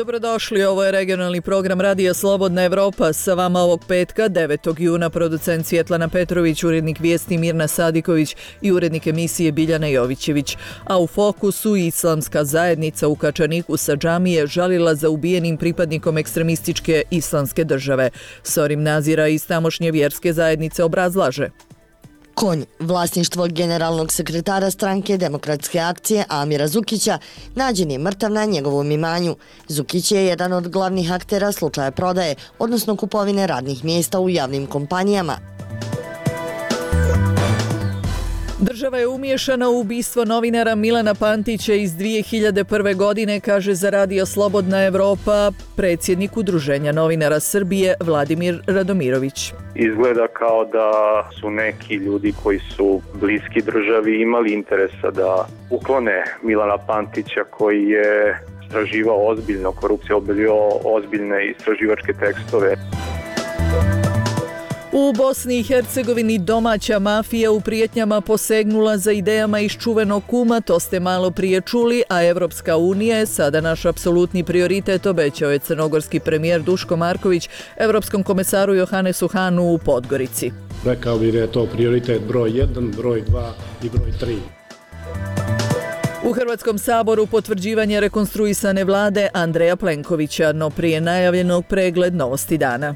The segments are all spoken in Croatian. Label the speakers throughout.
Speaker 1: Dobrodošli, ovo je regionalni program Radija Slobodna Evropa. Sa vama ovog petka, 9. juna, producent Svjetlana Petrović, urednik vijesti Mirna Sadiković i urednik emisije Biljana Jovićević. A u fokusu islamska zajednica u Kačaniku sa džamije žalila za ubijenim pripadnikom ekstremističke islamske države. Sorim Nazira iz tamošnje vjerske zajednice obrazlaže.
Speaker 2: Konj, vlasništvo generalnog sekretara stranke Demokratske akcije Amira Zukića, nađen je mrtav na njegovom imanju. Zukić je jedan od glavnih aktera slučaja prodaje, odnosno kupovine radnih mjesta u javnim kompanijama.
Speaker 1: Država je umiješana u ubistvo novinara Milana Pantića iz 2001. godine, kaže za Radio Slobodna Evropa predsjednik Udruženja novinara Srbije Vladimir Radomirović.
Speaker 3: Izgleda kao da su neki ljudi koji su bliski državi imali interesa da uklone Milana Pantića koji je istraživao ozbiljno korupciju, objavljivao ozbiljne istraživačke tekstove.
Speaker 1: U Bosni i Hercegovini domaća mafija u prijetnjama posegnula za idejama iz čuvenog kuma, to ste malo prije čuli, a Evropska unija je sada naš apsolutni prioritet, obećao je crnogorski premijer Duško Marković Evropskom komesaru Johannesu Hahnu u Podgorici.
Speaker 4: Rekao bih da je to prioritet broj 1, broj 2 i broj 3.
Speaker 1: U Hrvatskom saboru potvrđivanje rekonstruisane vlade Andreja Plenkovića, no prije najavljenog pregled novosti dana.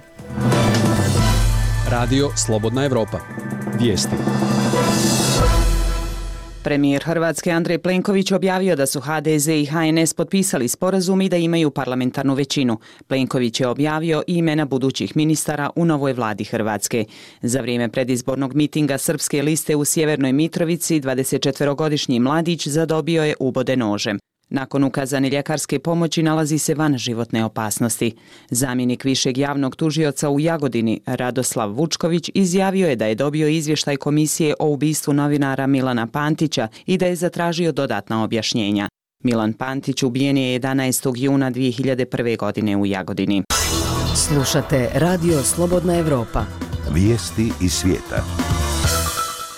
Speaker 5: Radio Slobodna Evropa. Vijesti.
Speaker 6: Premijer Hrvatske Andrej Plenković objavio da su HDZ i HNS potpisali sporazum i da imaju parlamentarnu većinu. Plenković je objavio i imena budućih ministara u novoj vladi Hrvatske. Za vrijeme predizbornog mitinga Srpske liste u Sjevernoj Mitrovici 24-godišnji mladić zadobio je ubode nožem. Nakon ukazane ljekarske pomoći nalazi se van životne opasnosti. Zamjenik višeg javnog tužioca u Jagodini, Radoslav Vučković, izjavio je da je dobio izvještaj komisije o ubistvu novinara Milana Pantića i da je zatražio dodatna objašnjenja. Milan Pantić ubijen je 11. juna 2001. godine u Jagodini.
Speaker 7: Slušate Radio Slobodna Evropa.
Speaker 8: Vijesti iz svijeta.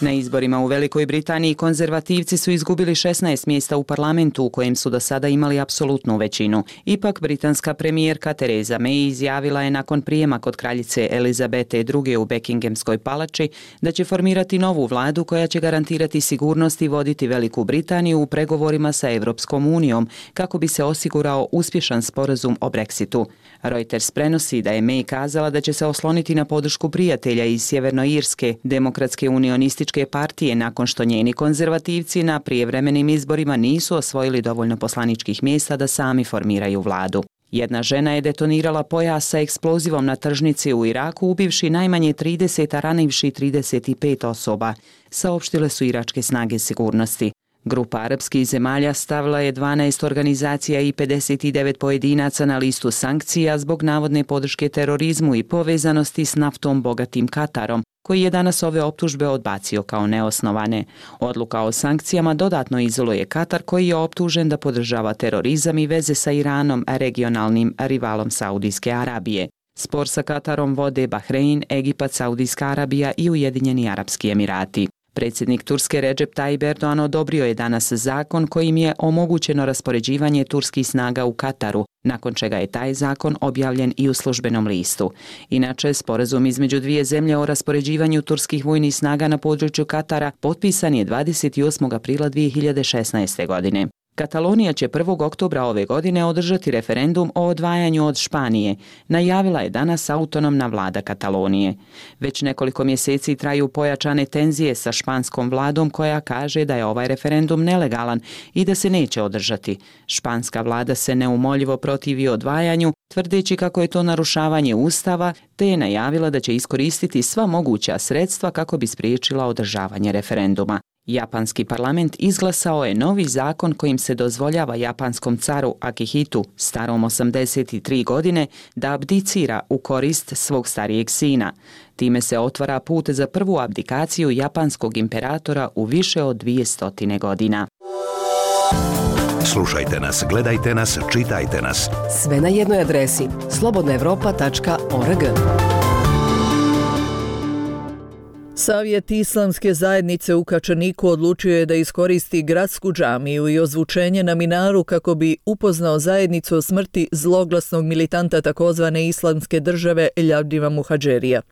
Speaker 6: Na izborima u Velikoj Britaniji konzervativci su izgubili 16 mjesta u parlamentu u kojem su do sada imali apsolutnu većinu. Ipak britanska premijerka Theresa May izjavila je nakon prijema kod kraljice Elizabete II. U Buckinghamskoj palači da će formirati novu vladu koja će garantirati sigurnost i voditi Veliku Britaniju u pregovorima sa Europskom unijom kako bi se osigurao uspješan sporazum o Brexitu. Reuters prenosi da je May kazala da će se osloniti na podršku prijatelja iz Sjevernoirske demokratske unionističke partije nakon što njeni konzervativci na prijevremenim izborima nisu osvojili dovoljno poslaničkih mjesta da sami formiraju vladu. Jedna žena je detonirala pojas sa eksplozivom na tržnici u Iraku, ubivši najmanje 30, a ranivši 35 osoba, saopštile su iračke snage sigurnosti. Grupa arapskih zemalja stavila je 12 organizacija i 59 pojedinaca na listu sankcija zbog navodne podrške terorizmu i povezanosti s naftom bogatim Katarom, koji je danas ove optužbe odbacio kao neosnovane. Odluka o sankcijama dodatno izoluje Katar, koji je optužen da podržava terorizam i veze sa Iranom, regionalnim rivalom Saudijske Arabije. Spor sa Katarom vode Bahrein, Egipat, Saudijska Arabija i Ujedinjeni Arapski Emirati. Predsjednik Turske Recep Tayyip Erdogan odobrio je danas zakon kojim je omogućeno raspoređivanje turskih snaga u Kataru, nakon čega je taj zakon objavljen i u službenom listu. Inače, sporazum između dvije zemlje o raspoređivanju turskih vojnih snaga na području Katara potpisan je 28. aprila 2016. godine. Katalonija će 1. oktobra ove godine održati referendum o odvajanju od Španije, najavila je danas autonomna vlada Katalonije. Već nekoliko mjeseci traju pojačane tenzije sa španskom vladom koja kaže da je ovaj referendum nelegalan i da se neće održati. Španska vlada se neumoljivo protivi odvajanju, tvrdeći kako je to narušavanje ustava, te je najavila da će iskoristiti sva moguća sredstva kako bi spriječila održavanje referenduma. Japanski parlament izglasao je novi zakon kojim se dozvoljava japanskom caru Akihitu, starom 83 godine, da abdicira u korist svog starijeg sina. Time se otvara put za prvu abdikaciju japanskog imperatora u više od 200 godina.
Speaker 8: Slušajte nas, gledajte nas, čitajte nas.
Speaker 7: Sve na jednoj adresi slobodnaevropa.org.
Speaker 1: Savjet Islamske zajednice u Kačaniku odlučio je da iskoristi gradsku džamiju i ozvučenje na minaru kako bi upoznao zajednicu o smrti zloglasnog militanta takozvane Islamske države Ljavdima Muhadžerija.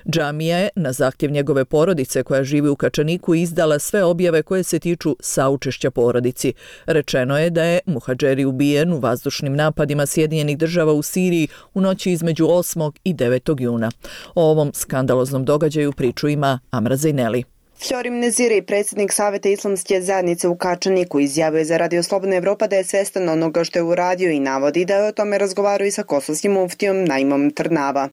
Speaker 1: Džamija je, na zahtjev njegove porodice koja živi u Kačaniku, izdala sve objave koje se tiču saučešća porodici. Rečeno je da je Muhadžeri ubijen u vazdušnim napadima Sjedinjenih država u Siriji u noći između 8. i 9. juna. O ovom skandaloznom događaju priču ima Amra Zejneli.
Speaker 9: Fjorim Neziri, predsjednik Savjeta Islamske zajednice u Kačaniku, izjavio je za Radio Slobodna Evropa da je svjestan onoga što je uradio i navodi da je o tome razgovarao i sa kosovskim muftijom Naimom Trnava.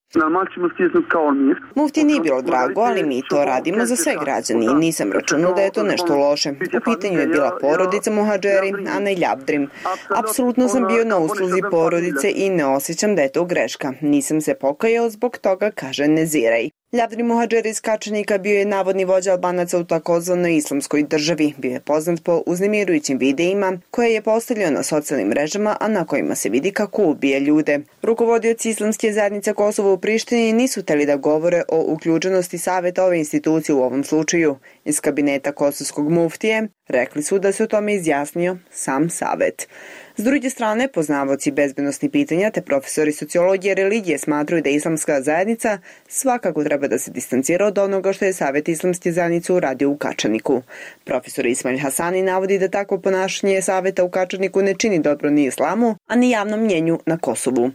Speaker 9: Mufti nije bilo drago, ali mi to radimo za sve građani i nisam računao da je to nešto loše. U pitanju je bila porodica Muhadžeri, a ne Ljavdrim. Apsolutno sam bio na usluzi porodice i ne osjećam da je to greška. Nisam se pokajao zbog toga, kaže Nezirej. Ljavdrim Muhadžeri iz Kačanika bio je navodni vođa Albanaca u takozvanoj Islamskoj državi. Bio je poznat po uznemirujućim videima koje je postavljao na socijalnim mrežama, a na kojima se vidi kako ubije ljude. Rukovodioci Islamske zajednice Kosova u Prištini nisu htjeli da govore o uključenosti savjeta ove institucije u ovom slučaju. Iz kabineta kosovskog muftije rekli su da se o tome izjasnio sam savjet. S druge strane, poznavaoci bezbednosnih pitanja te profesori sociologije i religije smatraju da Islamska zajednica svakako treba da se distancira od onoga što je Savjet Islamske zajednice uradio u Kačaniku. Profesor Ismail Hasani navodi da takvo ponašanje Savjeta u Kačaniku ne čini dobro ni islamu, a ni javnom mnjenju na Kosovu.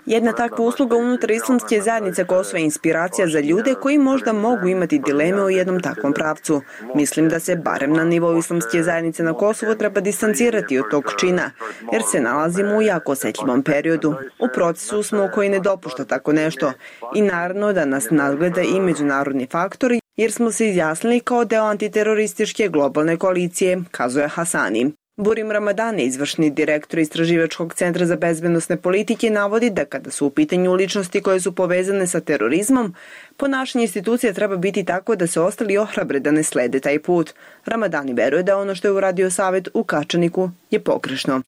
Speaker 9: Jedna takva usluga unutar Islamske zajednice Kosova je inspiracija za ljude koji možda mogu imati dileme u jednom takvom pravcu. Mislim da se barem na nivou Islamske zajednice na Kosovu treba distancirati od tog čina, jer se nalazimo u jako osjetljivom periodu. U procesu smo koji ne dopušta tako nešto i naravno da nas nadgleda i međunarodni faktori, jer smo se izjasnili kao deo antiterorističke globalne koalicije, kazuje Hasani. Burim Ramadani, izvršni direktor Istraživačkog centra za bezbednosne politike, navodi da kada su u pitanju ličnosti koje su povezane sa terorizmom, ponašanje institucija treba biti tako da se ostali ohrabre da ne slede taj put. Ramadani veruje da ono što je uradio Savjet u Kačaniku je pogrešno.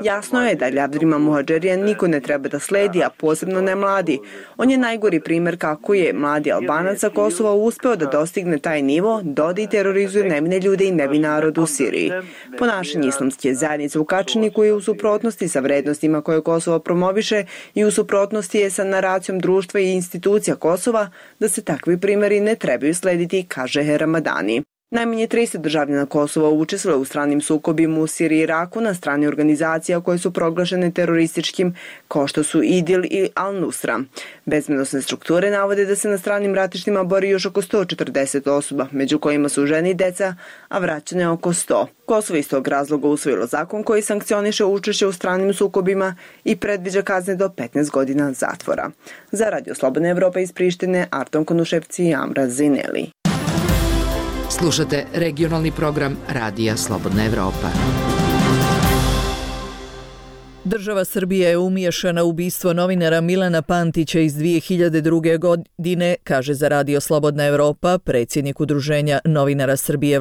Speaker 9: Jasno je da Ljavdrima Muhadžerija niko ne treba da sledi, a posebno ne mladi. On je najgori primjer kako je mladi Albanac sa Kosova uspeo da dostigne taj nivo, doda i terorizuje nevine ljude i nevin narod u Siriji. Ponašanje Islamske zajednice u Kačaniku je u suprotnosti sa vrednostima koje Kosovo promoviše i u suprotnosti je sa naracijom društva i institucija Kosova da se takvi primjeri ne trebaju slediti, kaže Ramadani. Najmanje 30 državljana Kosova učestvuje u stranim sukobima u Siriji i Iraku na strani organizacija koje su proglašene terorističkim, kao što su IDIL i Al-Nusra. Bezbednosne strukture navode da se na stranim ratištima bori još oko 140 osoba, među kojima su žene i deca, a vraćeno je oko 100. Kosovo iz tog razloga usvojilo zakon koji sankcioniše učešće u stranim sukobima i predviđa kazne do 15 godina zatvora. Za Radio Slobodna Evropa iz Prištine, Arton Konuševci i Amra Zejneli.
Speaker 7: Slušate regionalni program Radija Slobodna Evropa.
Speaker 1: Država Srbija je umiješana u ubistvo novinara Milana Pantića iz 2002. godine, kaže za Radio Slobodna Evropa predsjednik Udruženja novinara Srbije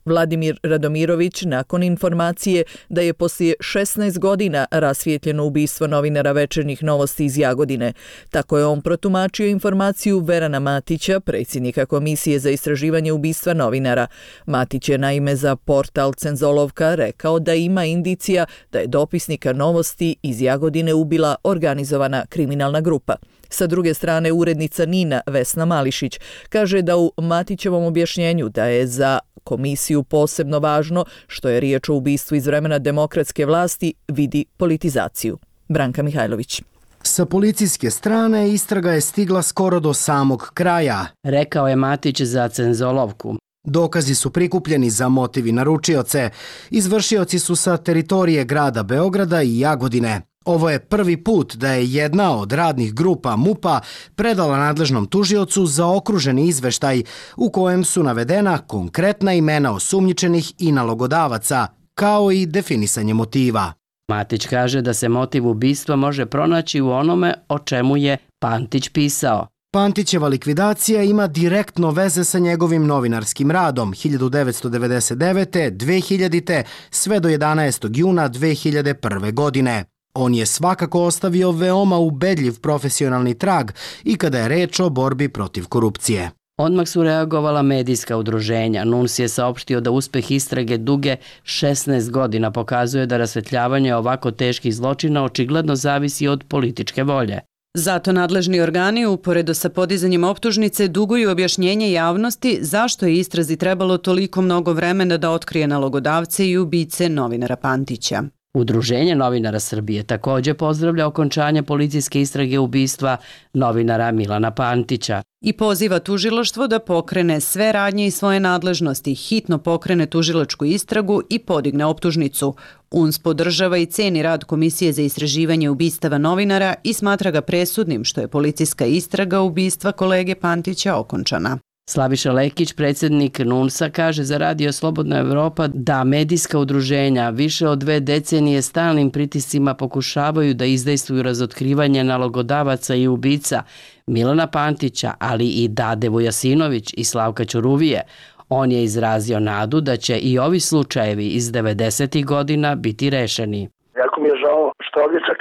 Speaker 1: Vladimir Radomirović nakon informacije da je poslije 16 godina rasvijetljeno ubistvo novinara Večernjih novosti iz Jagodine. Tako je on protumačio informaciju Verana Matića, predsjednika Komisije za istraživanje ubistva novinara. Matić je naime za portal Cenzolovka rekao da ima indicija da je dopisnika novosti iz Jagodine ubila organizovana kriminalna grupa. Sa druge strane, urednica Nina Vesna Mališić kaže da u Matićevom objašnjenju da je za komisiju posebno važno što je riječ o ubistvu iz vremena demokratske vlasti vidi politizaciju. Branka Mihajlović.
Speaker 10: Sa policijske strane istraga je stigla skoro do samog kraja,
Speaker 11: rekao je Matić za Cenzolovku.
Speaker 10: Dokazi su prikupljeni za motiv i naručioce. Izvršioci su sa teritorije grada Beograda i Jagodine. Ovo je prvi put da je jedna od radnih grupa MUP-a predala nadležnom tužiocu zaokruženi izveštaj u kojem su navedena konkretna imena osumnjičenih i nalogodavaca, kao i definisanje motiva.
Speaker 11: Matić kaže da se motiv ubistva može pronaći u onome o čemu je Pantić pisao.
Speaker 10: Pantićeva likvidacija ima direktno veze sa njegovim novinarskim radom 1999. 2000. sve do 11. juna 2001. godine. On je svakako ostavio veoma ubedljiv profesionalni trag i kada je reč o borbi protiv korupcije.
Speaker 11: Odmah su reagovala medijska udruženja. NUNS je saopštio da uspeh istrage duge 16 godina pokazuje da rasvetljavanje ovako teških zločina očigledno zavisi od političke volje.
Speaker 12: Zato nadležni organi, uporedo sa podizanjem optužnice, duguju objašnjenje javnosti zašto je istrazi trebalo toliko mnogo vremena da otkrije nalogodavce i ubice novinara Pantića.
Speaker 11: Udruženje novinara Srbije također pozdravlja okončanje policijske istrage ubistva novinara Milana Pantića.
Speaker 12: I poziva tužilaštvo da pokrene sve radnje i svoje nadležnosti, hitno pokrene tužilačku istragu i podigne optužnicu. UNS podržava i ceni rad Komisije za istraživanje ubistava novinara i smatra ga presudnim što je policijska istraga ubistva kolege Pantića okončana.
Speaker 11: Slaviša Lekić, predsjednik NUNS-a, kaže za Radio Slobodna Evropa da medijska udruženja više od 2 decenije stalnim pritiscima pokušavaju da izdejstvuju razotkrivanje nalogodavaca i ubica Milana Pantića, ali i Dade Vujasinović i Slavka Ćuruvije. On je izrazio nadu da će i ovi slučajevi iz 90. godina biti rešeni.
Speaker 13: Jako mi je žao što ovdje čak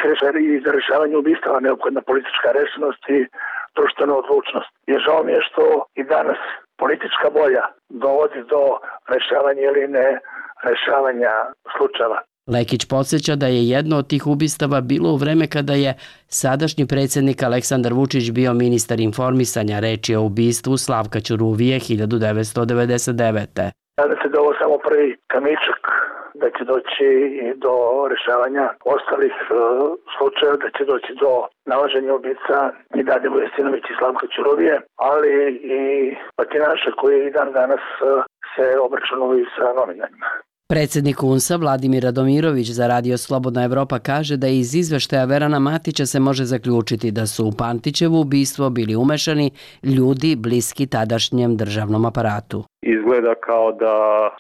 Speaker 13: i za rešavanje ubistava neophodna politička rešenost i društvena odlučnost. I žao mi je što i danas politička volja dovodi do rešavanja ili ne rešavanja slučajeva.
Speaker 11: Lekić podsjeća da je jedno od tih ubistava bilo u vreme kada je sadašnji predsjednik Aleksandar Vučić bio ministar informisanja. Reč je o ubistvu Slavka Ćuruvije 1999.
Speaker 13: Nadam se da ovo samo prvi kamičak, da će doći i do rešavanja ostalih slučajeva, da će doći do nalaženja ubica i Dade Vujasinović i Slavka Ćuruvije, ali i batinaša koji i dan danas se obračunaju sa novinarima.
Speaker 11: Predsjednik UNS-a Vladimir Radomirović za Radio Slobodna Evropa kaže da iz izveštaja Verana Matića se može zaključiti da su u Pantićevo ubistvo bili umešani ljudi bliski tadašnjem državnom aparatu.
Speaker 3: Izgleda kao da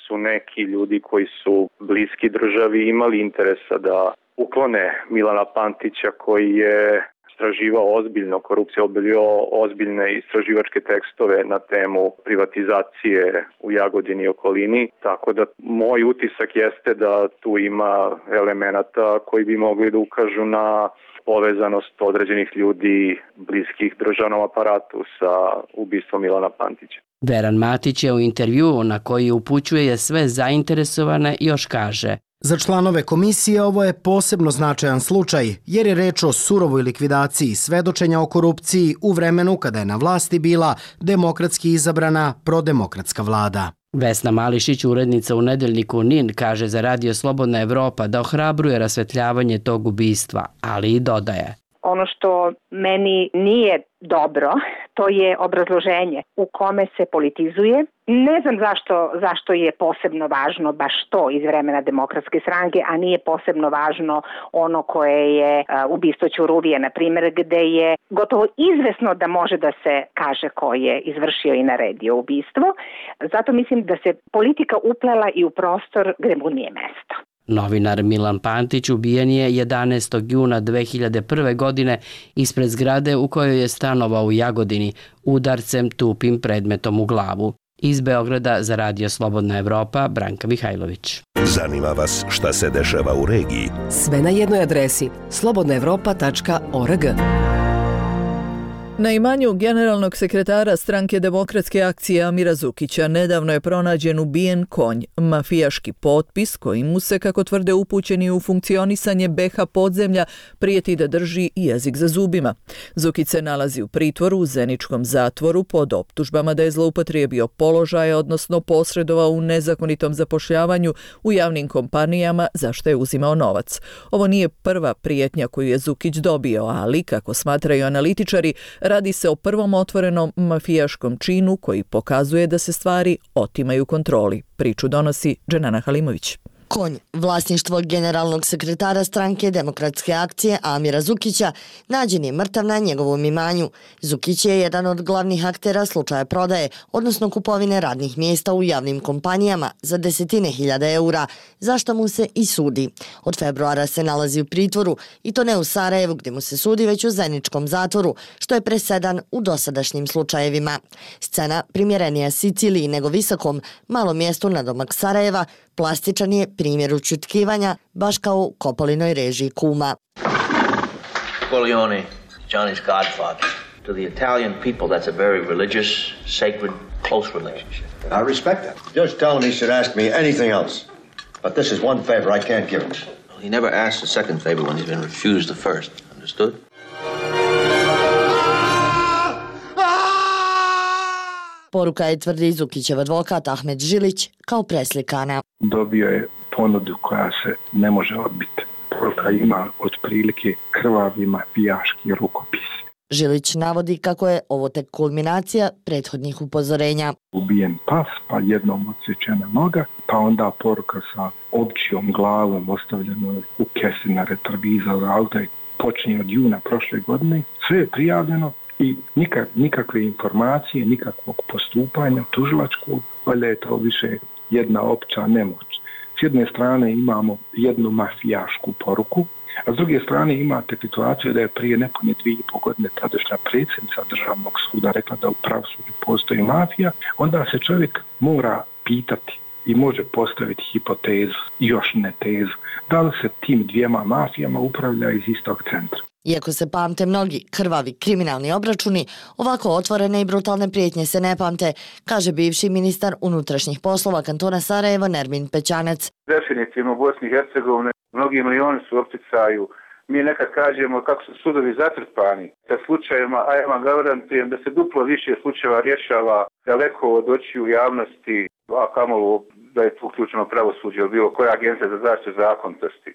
Speaker 3: su neki ljudi koji su bliski državi imali interesa da uklone Milana Pantića koji je istraživao ozbiljno korupciju, objavljivao ozbiljne istraživačke tekstove na temu privatizacije u Jagodini i okolini. Tako da moj utisak jeste da tu ima elemenata koji bi mogli da ukažu na povezanost određenih ljudi bliskih državnom aparatu sa ubistvom Milana Pantića.
Speaker 11: Veran Matić je u intervjuu na koji upućuje sve zainteresovane još kaže:
Speaker 10: Za članove komisije ovo je posebno značajan slučaj, jer je reč o surovoj likvidaciji svedočenja o korupciji u vremenu kada je na vlasti bila demokratski izabrana prodemokratska vlada.
Speaker 11: Vesna Mališić, urednica u nedeljniku NIN, kaže za Radio Slobodna Evropa da ohrabruje rasvetljavanje tog ubistva, ali i dodaje:
Speaker 14: Ono što meni nije dobro, to je obrazloženje u kome se politizuje. Ne znam zašto je posebno važno baš to iz vremena Demokratske stranke, a nije posebno važno ono koje je ubistvo Ćuruvije, na primjer, gde je gotovo izvesno da može da se kaže ko je izvršio i naredio ubistvo. Zato mislim da se politika uplela i u prostor gde mu nije mesto.
Speaker 11: Novinar Milan Pantić ubijen je 11. juna 2001. godine ispred zgrade u kojoj je stanovao u Jagodini udarcem tupim predmetom u glavu. Iz Beograda za Radio Slobodna Evropa, Branka Mihajlović.
Speaker 8: Zanima vas šta se dešava u regiji?
Speaker 15: Sve na jednoj adresi slobodnaevropa.org.
Speaker 1: Na imanju generalnog sekretara stranke Demokratske akcije Amira Zukića nedavno je pronađen ubijen konj, mafijaški potpis kojim mu se, kako tvrde upućeni u funkcionisanje BH podzemlja, prijeti da drži jezik za zubima. Zukić se nalazi u pritvoru u Zeničkom zatvoru pod optužbama da je zloupotrijebio položaje, odnosno posredovao u nezakonitom zapošljavanju u javnim kompanijama za što je uzimao novac. Ovo nije prva prijetnja koju je Zukić dobio, ali, kako smatraju analitičari, radi se o prvom otvorenom mafijaškom činu koji pokazuje da se stvari otimaju kontroli. Priču donosi Dženana Halimović.
Speaker 2: Konj, vlasništvo generalnog sekretara stranke Demokratske akcije Amira Zukića, nađen je mrtav na njegovom imanju. Zukić je jedan od glavnih aktera slučaja prodaje, odnosno kupovine radnih mjesta u javnim kompanijama za desetine hiljada eura, zašto mu se i sudi. Od februara se nalazi u pritvoru, i to ne u Sarajevu gdje mu se sudi, već u Zeničkom zatvoru, što je presedan u dosadašnjim slučajevima. Scena primjerenija Siciliji nego visokom, malom mjestu nadomak Sarajeva, Plastičan je primjer ućutkivanja, baš kao u Kopolinoj režiji Kuma.
Speaker 16: Corleone, Johnny's godfather. To the Italian people, that's a very religious, sacred, close relationship.
Speaker 17: I respect that. Just tell him he should ask me anything else. But this is one favor I can't give him.
Speaker 16: Well, he never asks a second favor when he's been refused the first. Understood?
Speaker 2: Poruka je, tvrdi Zukićev advokat Ahmed Žilić, kao preslikana.
Speaker 18: Dobio je ponudu koja se ne može odbiti. Poruka ima otprilike krvavi mafijaški rukopis.
Speaker 2: Žilić navodi kako je ovo tek kulminacija prethodnih upozorenja.
Speaker 18: Ubijen pas, pa jednom odsječena noga, pa onda poruka sa ovčijom glavom ostavljeno u kesi na retrovizor auta. Počinje od juna prošle godine, sve je prijavljeno i nikakve informacije, nikakvog postupanja tužilačkog, valjda je to više jedna opća nemoć. S jedne strane imamo jednu mafijašku poruku, a s druge strane imate situaciju da je prije nepune 2,5 godine tadašnja predsjednica Državnog suda rekla da u pravosuđu postoji mafija, onda se čovjek mora pitati i može postaviti hipotezu, još ne tezu, da li se tim dvijema mafijama upravlja iz istog centra.
Speaker 2: Iako se pamte mnogi krvavi kriminalni obračuni, ovako otvorene i brutalne prijetnje se ne pamte, kaže bivši ministar unutrašnjih poslova kantona Sarajevo Nermin Pećanac.
Speaker 19: Definitivno u Bosni i Hercegovini mnogi milioni su u opticaju. Mi nekad kažemo kako su sudovi zatrpani sa slučajevima, a ja vam garantujem da se duplo više slučajeva rješava daleko od očiju javnosti, a kamoli da je tu uključeno pravosuđe ili bilo koja agencija za zaštitu zakonitosti.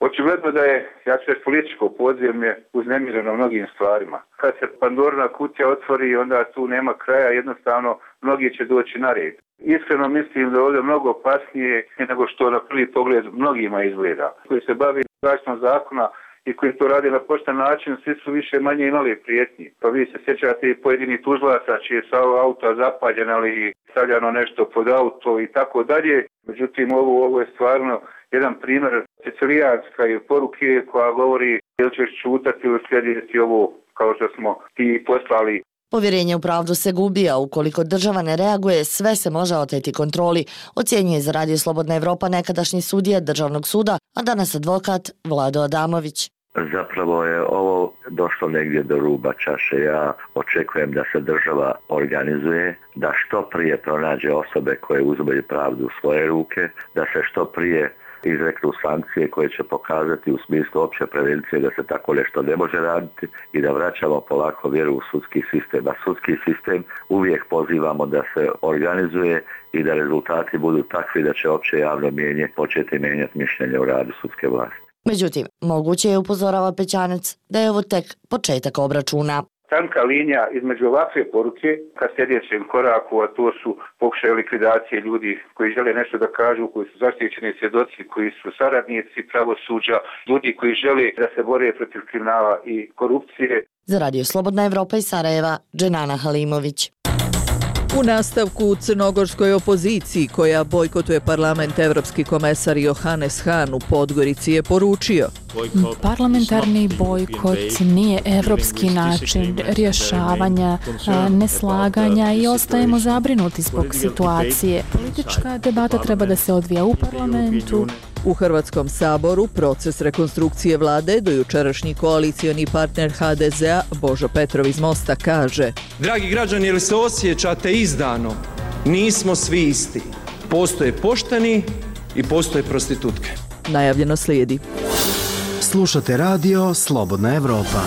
Speaker 19: Očigledno da je, ja ću reći, političko podzemlje uznemireno mnogim stvarima. Kad se Pandorina kutija otvori, onda tu nema kraja, jednostavno mnogi će doći na red. Iskreno mislim da je ovdje mnogo opasnije nego što na prvi pogled mnogima izgleda. Koji se bavi zaštitom zakona i koji to radi na pošten način, svi su više manje imali prijetnji. Pa vi se sjećate i pojedini tužilaca čije su auta zapaljene ili stavljano nešto pod auto i tako dalje. Međutim, ovo je stvarno jedan primjer sicilijanska poruke koja govori ili ćeš čutati ili slijediti ovo kao što smo ti poslali.
Speaker 2: Povjerenje u pravdu se gubi, a ukoliko država ne reaguje, sve se može oteti kontroli, ocjenjuje za Radio Slobodna Evropa nekadašnji sudija Državnog suda, a danas advokat Vlado Adamović.
Speaker 20: Zapravo je ovo došlo negdje do ruba čaše. Ja očekujem da se država organizuje, da što prije pronađe osobe koje uzimaju pravdu u svoje ruke, da se što prije izreknu sankcije koje će pokazati u smislu opće prevencije da se tako nešto ne može raditi i da vraćamo polako vjeru u sudski sistem. A sudski sistem uvijek pozivamo da se organizuje i da rezultati budu takvi da će opće javno mnijenje početi mijenjati mišljenje o radu sudske vlasti.
Speaker 2: Međutim, moguće je, upozorava Pećanac, da je ovo tek početak obračuna.
Speaker 19: Tanka linija između ovakve poruke ka sljedećem koraku, a to su pokušaj likvidacije ljudi koji žele nešto da kažu, koji su zaštićeni svjedoci, koji su saradnici pravosuđa, ljudi koji žele da se bore protiv kriminala i korupcije.
Speaker 2: Za Radio Slobodna Evropa iz Sarajeva, Dženana Halimović.
Speaker 1: U nastavku u crnogorskoj opoziciji koja bojkotuje parlament, evropski komesar Johannes Hahn u Podgorici je poručio:
Speaker 21: parlamentarni bojkot nije evropski način rješavanja neslaganja i ostajemo zabrinuti zbog situacije. Politička debata treba da se odvija u parlamentu.
Speaker 1: U Hrvatskom saboru proces rekonstrukcije vlade dojučerašnji koalicioni partner HDZ-a Božo Petrov iz Mosta kaže:
Speaker 22: dragi građani, jel se osjećate izdano? Nismo svi isti. Postoje pošteni i postoje prostitutke.
Speaker 1: Najavljeno slijedi.
Speaker 10: Slušate radio Slobodna Evropa.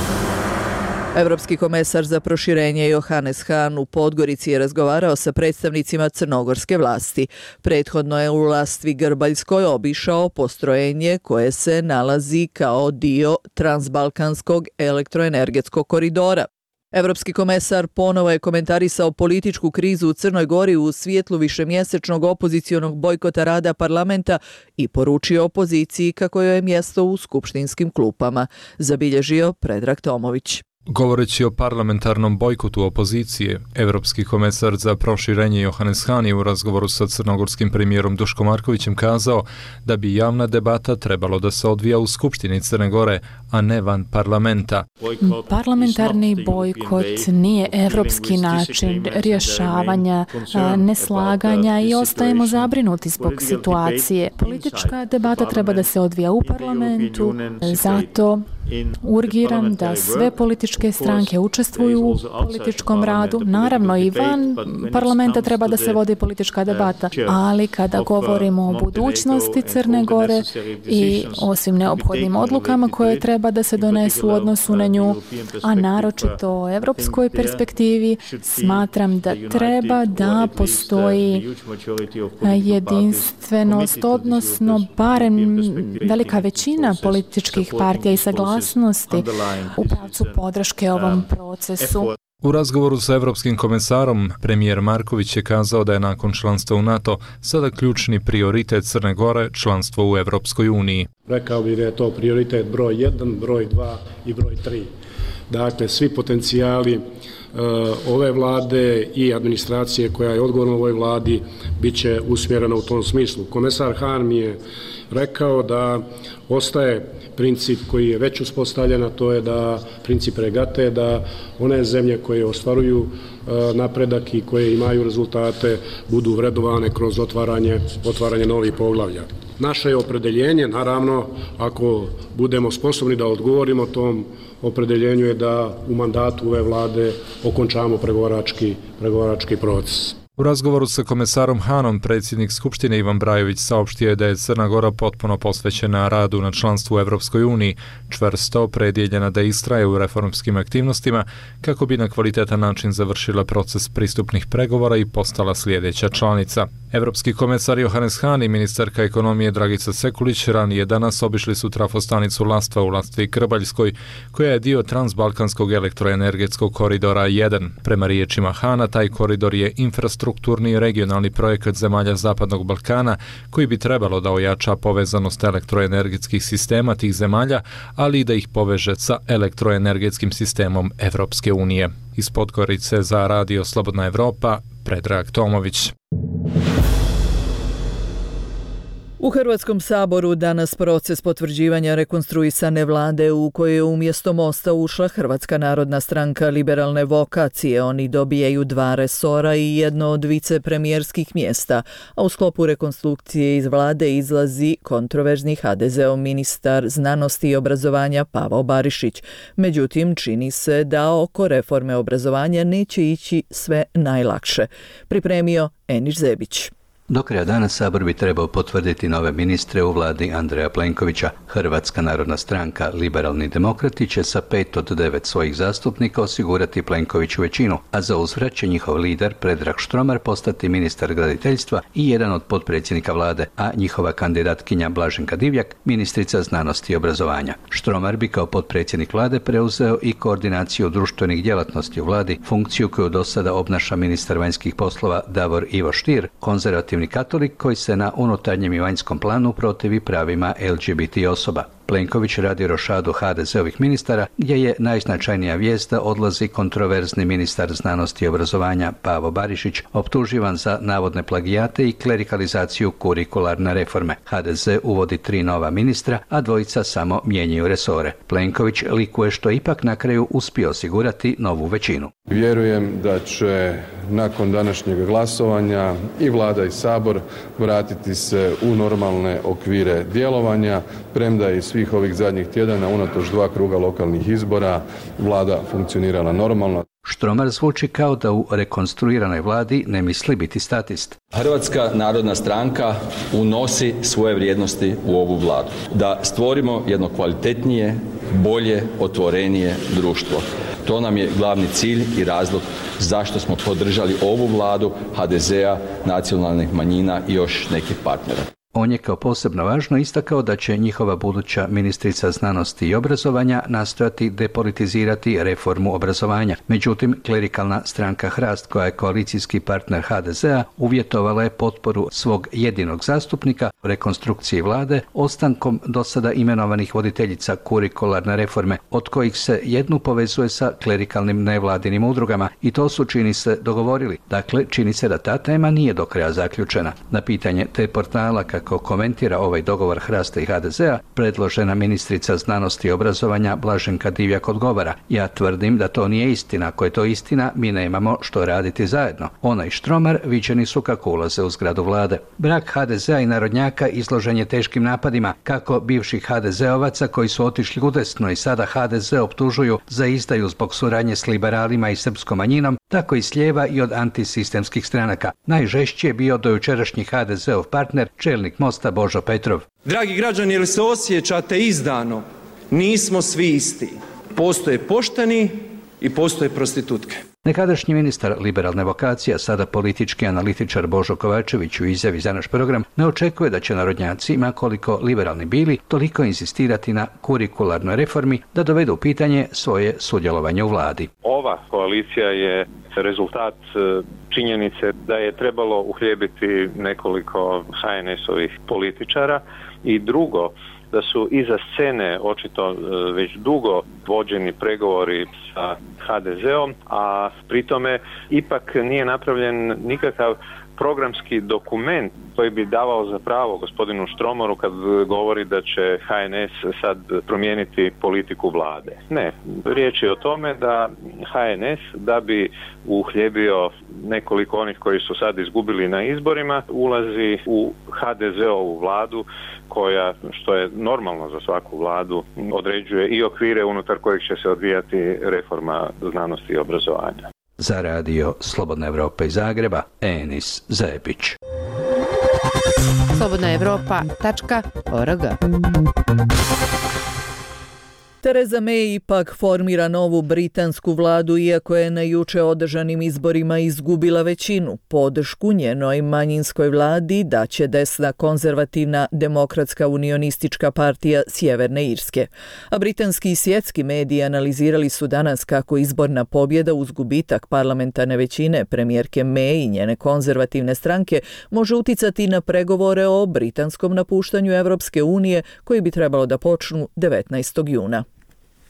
Speaker 1: Evropski komesar za proširenje Johannes Hahn u Podgorici je razgovarao sa predstavnicima crnogorske vlasti. Prethodno je u Lastvi Grbaljskoj obišao postrojenje koje se nalazi kao dio transbalkanskog elektroenergetskog koridora. Evropski komesar ponovo je komentarisao političku krizu u Crnoj Gori u svjetlu višemjesečnog opozicionog bojkota rada parlamenta i poručio opoziciji kako joj je mjesto u skupštinskim klupama, zabilježio Predrag Tomović.
Speaker 4: Govoreći o parlamentarnom bojkotu opozicije, evropski komesar za proširenje Johannes Hahn je u razgovoru sa crnogorskim premijerom Duško Markovićem kazao da bi javna debata trebalo da se odvija u Skupštini Crne Gore, a ne van parlamenta.
Speaker 21: Parlamentarni bojkot nije evropski način rješavanja neslaganja i ostajemo zabrinuti zbog situacije. Politička debata treba da se odvija u parlamentu, zato urgiram da sve političke stranke učestvuju u političkom radu. Naravno i van parlamenta treba da se vodi politička debata, ali kada govorimo o budućnosti Crne Gore i o svim neophodnim odlukama koje treba da se donesu u odnosu na nju, a naročito o evropskoj perspektivi, smatram da treba da postoji jedinstvenost, odnosno barem velika većina političkih partija i saglasnosti u pravcu podrške ovom procesu.
Speaker 4: U razgovoru sa evropskim komesarom, premijer Marković je kazao da je nakon članstva u NATO sada ključni prioritet Crne Gore članstvo u Evropskoj uniji.
Speaker 5: Rekao bih da je to prioritet broj 1, broj 2 i broj 3. Dakle, svi potencijali ove vlade i administracije koja je odgovorna ovoj vladi bit će usmjerena u tom smislu. Komesar Hahn mi je rekao da ostaje princip koji je već uspostavljen, a to je da princip regate, da one zemlje koje ostvaruju napredak i koje imaju rezultate budu vrednovane kroz otvaranje novih poglavlja. Naše je opredeljenje, naravno, ako budemo sposobni da odgovorimo tom opredeljenju, je da u mandatu ove vlade okončamo pregovarački proces.
Speaker 4: U razgovoru sa komesarom Hahnom, predsjednik Skupštine Ivan Brajović saopštio je da je Crna Gora potpuno posvećena radu na članstvu u Evropskoj uniji, čvrsto opredjeljena da istraje u reformskim aktivnostima kako bi na kvalitetan način završila proces pristupnih pregovora i postala sljedeća članica. Evropski komesar Johannes Hahn i ministarka ekonomije Dragica Sekulić ranije danas obišli su trafostanicu Lastva u Lastvi Krbaljskoj, koja je dio transbalkanskog elektroenergetskog koridora 1. Prema riječima Hahna, taj koridor je infrastrukturni i regionalni projekat zemalja Zapadnog Balkana koji bi trebalo da ojača povezanost elektroenergetskih sistema tih zemalja, ali i da ih poveže sa elektroenergetskim sistemom Evropske unije. Iz Podgorice za Radio Slobodna Evropa, Predrag Tomović.
Speaker 1: U Hrvatskom saboru danas proces potvrđivanja rekonstruisane vlade u kojoj je umjesto Mosta ušla Hrvatska narodna stranka liberalne vokacije. Oni dobijaju 2 resora i jedno od vicepremijerskih mjesta, a u sklopu rekonstrukcije iz vlade izlazi kontroverzni HDZ-ov ministar znanosti i obrazovanja Pavo Barišić. Međutim, čini se da oko reforme obrazovanja neće ići sve najlakše. Pripremio Eniš Zebić.
Speaker 23: Do kraja dana Sabor bi trebao potvrditi nove ministre u vladi Andreja Plenkovića. Hrvatska narodna stranka Liberalni demokrati će sa 5 od 9 svojih zastupnika osigurati Plenkoviću većinu, a za uzvrat će njihov lider Predrag Štromar postati ministar graditeljstva i jedan od potpredsjednika vlade, a njihova kandidatkinja Blaženka Divjak ministrica znanosti i obrazovanja. Štromar bi kao potpredsjednik vlade preuzeo i koordinaciju društvenih djelatnosti u vladi, funkciju koju do sada obnaša ministar vanjskih poslova Davor Ivo Stier, konzervativni katolik koji se na unutarnjem i vanjskom planu protivi pravima LGBT osoba. Plenković radi rošadu HDZ-ovih ministara, gdje je najznačajnija vijest da odlazi kontroverzni ministar znanosti i obrazovanja Pavo Barišić, optuživan za navodne plagijate i klerikalizaciju kurikularne reforme. HDZ uvodi 3 nova ministra, a 2 samo mijenjaju resore. Plenković likuje što ipak na kraju uspio osigurati novu većinu.
Speaker 24: Vjerujem da će nakon današnjeg glasovanja i vlada i Sabor vratiti se u normalne okvire djelovanja, premda je i svih ovih zadnjih tjedana unatoč 2 kruga lokalnih izbora vlada funkcionirala normalno.
Speaker 23: Štromar zvuči kao da u rekonstruiranoj vladi ne misli biti statist.
Speaker 25: Hrvatska narodna stranka unosi svoje vrijednosti u ovu vladu. Da stvorimo jedno kvalitetnije, bolje, otvorenije društvo. To nam je glavni cilj i razlog zašto smo podržali ovu vladu HDZ-a, nacionalnih manjina i još nekih partnera.
Speaker 23: On je kao posebno važno istakao da će njihova buduća ministrica znanosti i obrazovanja nastojati depolitizirati reformu obrazovanja. Međutim, klerikalna stranka Hrast, koja je koalicijski partner HDZ-a, uvjetovala je potporu svog jedinog zastupnika rekonstrukciji vlade ostankom do sada imenovanih voditeljica kurikularne reforme, od kojih se jednu povezuje sa klerikalnim nevladinim udrugama i to su, čini se, dogovorili. Dakle, čini se da ta tema nije do kraja zaključena. Na pitanje te portala kako komentira ovaj dogovor Hrasta i HDZ-a, predložena ministrica znanosti i obrazovanja Blaženka Divjak odgovara: ja tvrdim da to nije istina. Ako je to istina, mi nemamo što raditi zajedno. Ona i Štromar viđeni su kako ulaze u zgradu vlade. Brak HDZ-a i narodnjaka izložen je teškim napadima, kako bivših HDZ-ovaca koji su otišli udesno i sada HDZ optužuju za izdaju zbog suradnje s liberalima i srpskom manjinom, tako i s lijeva i od antisistemskih stranaka. Najžešći je bio dojučerašnji HDZ-ov partner, čelnik Mosta Božo Petrov.
Speaker 22: Dragi građani, jel se osjećate izdano? Nismo svi isti. Postoje pošteni i postoje prostitutke.
Speaker 23: Nekadašnji ministar liberalne vokacije, a sada politički analitičar Božo Kovačević u izjavi za naš program ne očekuje da će narodnjaci, ma koliko liberalni bili, toliko insistirati na kurikularnoj reformi da dovedu u pitanje svoje sudjelovanje u vladi.
Speaker 6: Ova koalicija je rezultat činjenice da je trebalo uhljebiti nekoliko HNS-ovih političara i drugo, da su iza scene očito već dugo vođeni pregovori sa HDZ-om, a pritome ipak nije napravljen nikakav programski dokument koji bi davao za pravo gospodinu Štromaru kad govori da će HNS sad promijeniti politiku vlade. Ne, riječ je o tome da HNS, da bi uhljebio nekoliko onih koji su sad izgubili na izborima, ulazi u HDZ-ovu vladu koja, što je normalno za svaku vladu, određuje i okvire unutar kojih će se odvijati reforma znanosti i obrazovanja.
Speaker 23: Za radio Slobodna Evropa iz Zagreba, Enis Zebić.
Speaker 7: slobodnaevropa.org.
Speaker 1: Theresa May ipak formira novu britansku vladu, iako je na juče održanim izborima izgubila većinu. Podršku njenoj manjinskoj vladi daće desna konzervativna demokratska unionistička partija Sjeverne Irske. A britanski i svjetski mediji analizirali su danas kako izborna pobjeda uz gubitak parlamentarne većine premijerke May i njene konzervativne stranke može uticati na pregovore o britanskom napuštanju Europske unije koji bi trebalo da počnu 19. juna.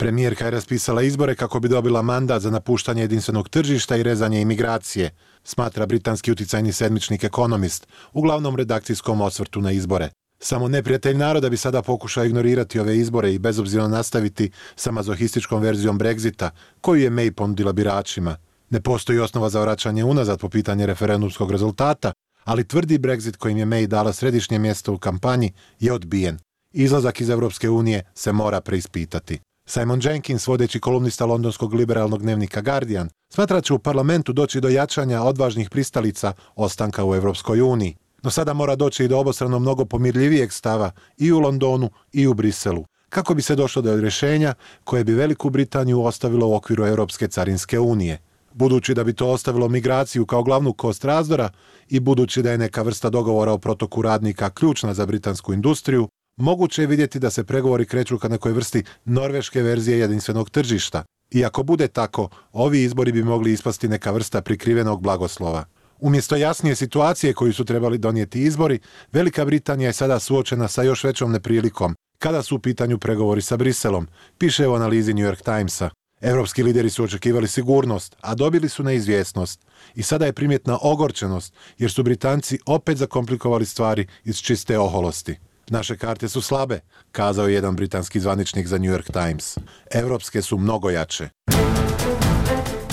Speaker 9: Premijerka je raspisala izbore kako bi dobila mandat za napuštanje jedinstvenog tržišta i rezanje imigracije, smatra britanski uticajni sedmičnik Economist u glavnom redakcijskom osvrtu na izbore. Samo neprijatelj naroda bi sada pokušao ignorirati ove izbore i bezobzirno nastaviti sa mazohističkom verzijom Brexita, koju je May ponudila biračima. Ne postoji osnova za vraćanje unazad po pitanje referendumskog rezultata, ali tvrdi Brexit kojim je May dala središnje mjesto u kampanji je odbijen. Izlazak iz Europske unije se mora preispitati. Simon Jenkins, vodeći kolumnista londonskog liberalnog dnevnika Guardian, smatra će u parlamentu doći do jačanja odvažnih pristalica ostanka u Europskoj uniji. No sada mora doći i do obostrano mnogo pomirljivijeg stava i u Londonu i u Briselu, kako bi se došlo do rješenja koje bi Veliku Britaniju ostavilo u okviru Europske carinske unije. Budući da bi to ostavilo migraciju kao glavnu kost razdora i budući da je neka vrsta dogovora o protoku radnika ključna za britansku industriju, moguće je vidjeti da se pregovori kreću ka nekoj vrsti norveške verzije jedinstvenog tržišta. I ako bude tako, ovi izbori bi mogli ispasti neka vrsta prikrivenog blagoslova. Umjesto jasnije situacije koju su trebali donijeti izbori, Velika Britanija je sada suočena sa još većom neprilikom kada su u pitanju pregovori sa Briselom, piše u analizi New York Timesa. Europski lideri su očekivali sigurnost, a dobili su neizvjesnost. I sada je primjetna ogorčenost, jer su Britanci opet zakomplikovali stvari iz čiste oholosti. Naše karte su slabe, kazao je jedan britanski zvaničnik za New York Times. Europske su mnogo jače.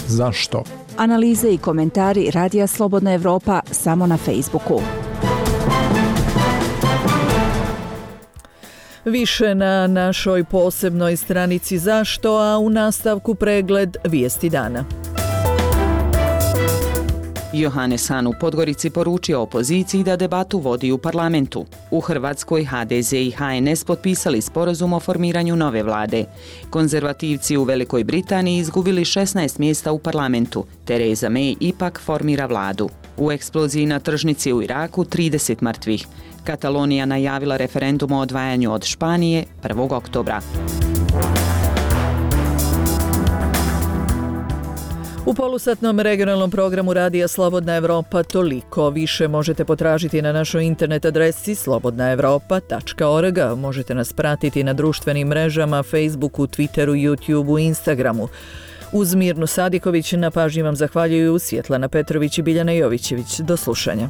Speaker 12: Zašto?
Speaker 13: Analize i komentari Radija Slobodna Evropa samo na Facebooku.
Speaker 1: Više na našoj posebnoj stranici Zašto, a u nastavku pregled vijesti dana.
Speaker 3: Johannes Hahn u Podgorici poručio opoziciji da debatu vodi u parlamentu. U Hrvatskoj HDZ i HNS potpisali sporazum o formiranju nove vlade. Konzervativci u Velikoj Britaniji izgubili 16 mjesta u parlamentu. Theresa May ipak formira vladu. U eksploziji na tržnici u Iraku 30 mrtvih. Katalonija najavila referendum o odvajanju od Španije 1. oktobra.
Speaker 1: U polusatnom regionalnom programu Radija Slobodna Evropa toliko. Više možete potražiti na našoj internet adresi slobodnaevropa.org. Možete nas pratiti na društvenim mrežama, Facebooku, Twitteru, YouTubeu i Instagramu. Uz Mirnu Sadiković na pažnji vam zahvaljuju Svjetlana Petrović i Biljana Jovićević. Do slušanja.